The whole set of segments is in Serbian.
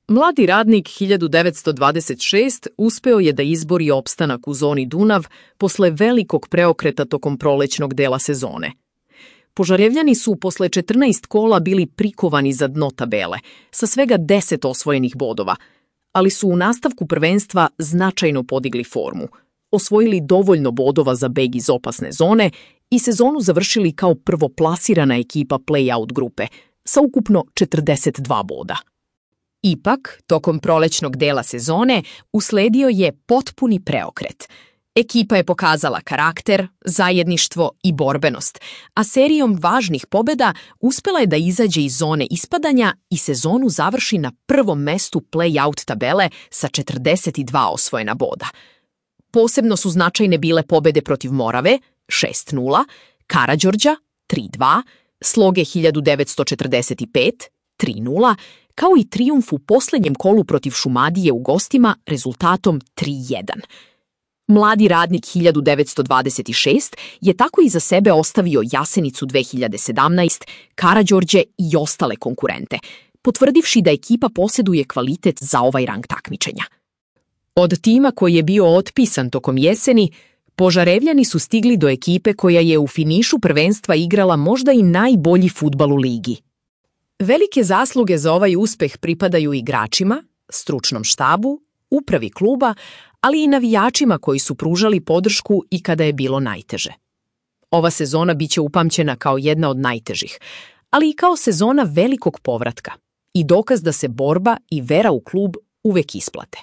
Mladi radnik 1926 uspeo je da izbori opstanak u zoni Dunav posle velikog preokreta tokom prolećnog dela sezone. Požarevljani su posle 14 kola bili prikovani za dno tabele, sa svega 10 osvojenih bodova, ali su u nastavku prvenstva značajno podigli formu, osvojili dovoljno bodova za beg iz opasne zone i sezonu završili kao prvoplasirana ekipa play-out grupe, sa ukupno 42 boda. Ipak, tokom prolećnog dela sezone usledio je potpuni preokret. Ekipa je pokazala karakter, zajedništvo i borbenost, a serijom važnih pobjeda uspela je da izađe iz zone ispadanja i sezonu završi na prvom mestu play-out tabele sa 42 osvojena boda. Posebno su značajne bile pobjede protiv Morave 6:0, Karađorđa 3:2, Sloge 1945 3:0, kao i trijumf u posljednjem kolu protiv Šumadije u gostima rezultatom 3:1. Mladi radnik 1926 je tako iza sebe ostavio Jasenicu 2017, Karađorđe i ostale konkurente, potvrdivši da ekipa posjeduje kvalitet za ovaj rang takmičenja. Od tima koji je bio otpisan tokom jeseni, Požarevljani su stigli do ekipe koja je u finišu prvenstva igrala možda i najbolji fudbal u ligi. Velike zasluge za ovaj uspeh pripadaju igračima, stručnom štabu, upravi kluba, ali i navijačima koji su pružali podršku i kada je bilo najteže. Ova sezona biće upamćena kao jedna od najtežih, ali i kao sezona velikog povratka i dokaz da se borba i vera u klub uvek isplate.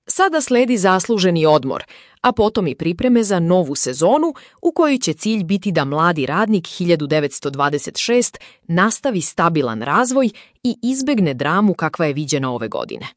Sada sledi zasluženi odmor, a potom i pripreme za novu sezonu u kojoj će cilj biti da mladi radnik 1926 nastavi stabilan razvoj i izbegne dramu kakva je viđena ove godine.